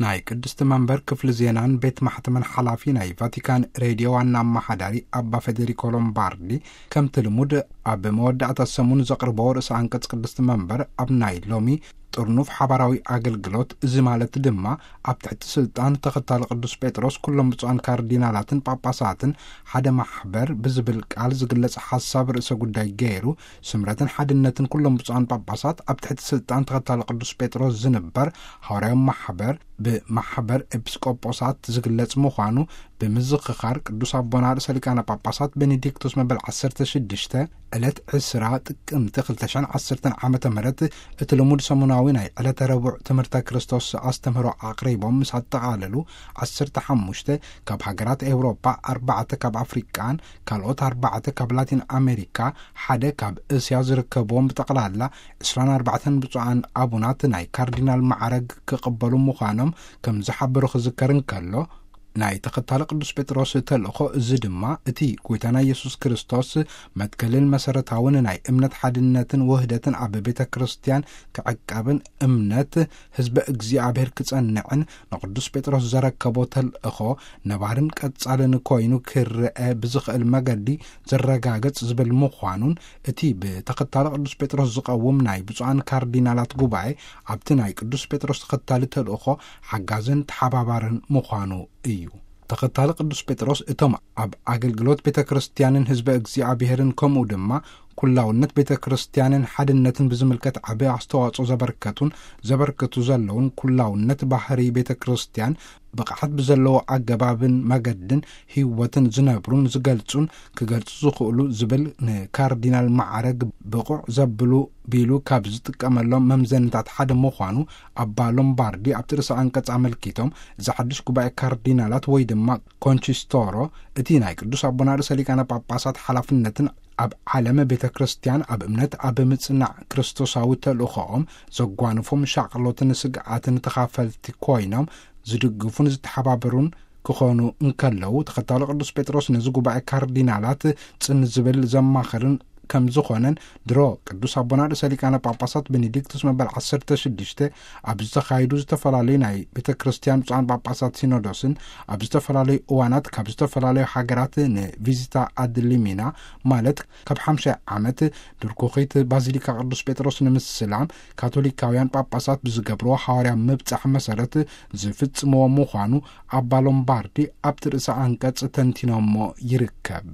ናይ ቅድስቲ መንበር ክፍሊ ዜናን ቤት ማሕተምን ሓላፊ ናይ ቫቲካን ሬድዮ ዋና ኣመሓዳሪ ኣባ ፌዴሪኮ ሎምባርዲ፣ ከምቲ ልሙድ ኣብ መወዳእታ ሰሙን ዘቕርቦ ርእሰ ኣንቀጽ ቅድስቲ መንበር፣ ኣብ ናይ ሎሚ ጥርኑፍ ሓባራዊ ኣገልግሎት፣ እዚ ማለት ድማ ኣብ ትሕቲ ስልጣን ተኸታሊ ቅዱስ ጴጥሮስ ኩሎም ብፁዓን ካርዲናላትን ጳጳሳትን ሓደ ማሕበር ብዝብል ቃል ዝግለጽ ሓሳብ ርእሰ ጉዳይ ገይሩ፣ ስምረትን ሓድነትን ኩሎም ብፁዓን ጳጳሳት ኣብ ትሕቲ ስልጣን ተኸታሊ ቅዱስ ጴጥሮስ ዝንበር ሃዋርያዊ ማሕበር ብማሕበር ኤጲስቆጶሳት ዝግለጽ ምዃኑ ብምዝኽኻር፣ ቅዱስ ኣቦና ርእሰ ሊቃነ ጳጳሳት ቤኔዲክቶስ መበል ዓሰርተ ሽዱሽተ ዕለት ዕስራ ጥቅምቲ ክልተ ሽሕን ዓሰርተን ዓመተ ምህረት እቲ ልሙድ ሰሙናዊ ናይ ዕለተ ረቡዕ ትምህርተ ክርስቶስ ኣስተምህሮ ኣቕሪቦም ምስ ኣጠቓለሉ፣ ዓሰርተ ሓሙሽተ ካብ ሃገራት ኤውሮጳ፣ ኣርባዕተ ካብ ኣፍሪቃን ካልኦት ኣርባዕተ ካብ ላቲን ኣሜሪካ፣ ሓደ ካብ እስያ ዝርከብዎም ብጠቕላላ ዕስራን ኣርባዕተን ብፁዓን ኣቡናት ናይ ካርዲናል ማዕረግ ክቕበሉ ምዃኖም ከም ዝሓበሩ ክዝከር እንከሎ፣ ናይ ተኸታሊ ቅዱስ ጴጥሮስ ተልእኾ እዚ ድማ እቲ ጎይታና ኢየሱስ ክርስቶስ መትከልን መሰረታውን ናይ እምነት ሓድነትን ውህደትን ኣብ ቤተ ክርስቲያን ክዕቀብን እምነት ህዝበ እግዚኣብሔር ክጸንዕን ንቅዱስ ጴጥሮስ ዘረከቦ ተልእኾ ነባርን ቀጻልን ኮይኑ ክረአ ብዝኽእል መገዲ ዝረጋገጽ ዝብል ምዃኑን፣ እቲ ብተኸታሊ ቅዱስ ጴጥሮስ ዝቐውም ናይ ብፁዓን ካርዲናላት ጉባኤ ኣብቲ ናይ ቅዱስ ጴጥሮስ ተኸታሊ ተልእኾ ሓጋዝን ተሓባባርን ምዃኑ እዩ። ተኸታሊ ቅዱስ ጴጥሮስ እቶም ኣብ ኣገልግሎት ቤተ ክርስቲያንን ህዝበ እግዚኣብሔርን ከምኡ ድማ ኩላውነት ቤተ ክርስቲያንን ሓድነትን ብዝምልከት ዓቢ ኣስተዋጽኦ ዘበርከቱን ዘበርክቱ ዘለውን፣ ኩላውነት ባህሪ ቤተ ክርስቲያን ብቕዓት ብዘለዎ ኣገባብን መገድን ህይወትን ዝነብሩን ዝገልጹን ክገልጹ ዝኽእሉ ዝብል ንካርዲናል ማዕረግ ብቑዕ ዘብሉ ቢሉ ካብ ዝጥቀመሎም መምዘንታት ሓደ ምዃኑ ኣባ ሎምባርዲ ኣብቲ ርእሰ ኣንቀጽ ኣመልኪቶም፣ እዚ ሓድሽ ጉባኤ ካርዲናላት ወይ ድማ ኮንቺስቶሮ፣ እቲ ናይ ቅዱስ ኣቦና ርእሰ ሊቃነ ጳጳሳት ሓላፍነትን ኣብ ዓለም ቤተ ክርስቲያን ኣብ እምነት ኣብ ምጽናዕ ክርስቶሳዊ ተልእኾኦም ዘጓንፎም ሻቕሎትን ስግኣትን ተኻፈልቲ ኮይኖም ዝድግፉን ዝተሓባበሩን ክኾኑ እንከለዉ፣ ተኸታሎ ቅዱስ ጴጥሮስ ነዚ ጉባኤ ካርዲናላት ጽን ዝብል ዘማኽርን ከም ዝኾነን፣ ድሮ ቅዱስ ኣቦና ርእሰ ሊቃነ ጳጳሳት ቤኔዲክቱስ መበል ዓሰርተ ሽዱሽተ ኣብ ዝተኻየዱ ዝተፈላለዩ ናይ ቤተ ክርስቲያን ብፁዓን ጳጳሳት ሲኖዶስን ኣብ ዝተፈላለዩ እዋናት ካብ ዝተፈላለዩ ሃገራት ንቪዚታ ኣድ ሊሚና፣ ማለት ካብ ሓምሻይ ዓመት ድርኩኺት ባዚሊካ ቅዱስ ጴጥሮስ ንምስላም ካቶሊካውያን ጳጳሳት ብዝገብርዎ ሃዋርያ ምብጻሕ መሰረት ዝፍጽምዎ ምዃኑ ኣባ ሎምባርዲ ኣብቲ ርእሰ ኣንቀጽ ተንቲኖሞ ይርከብ።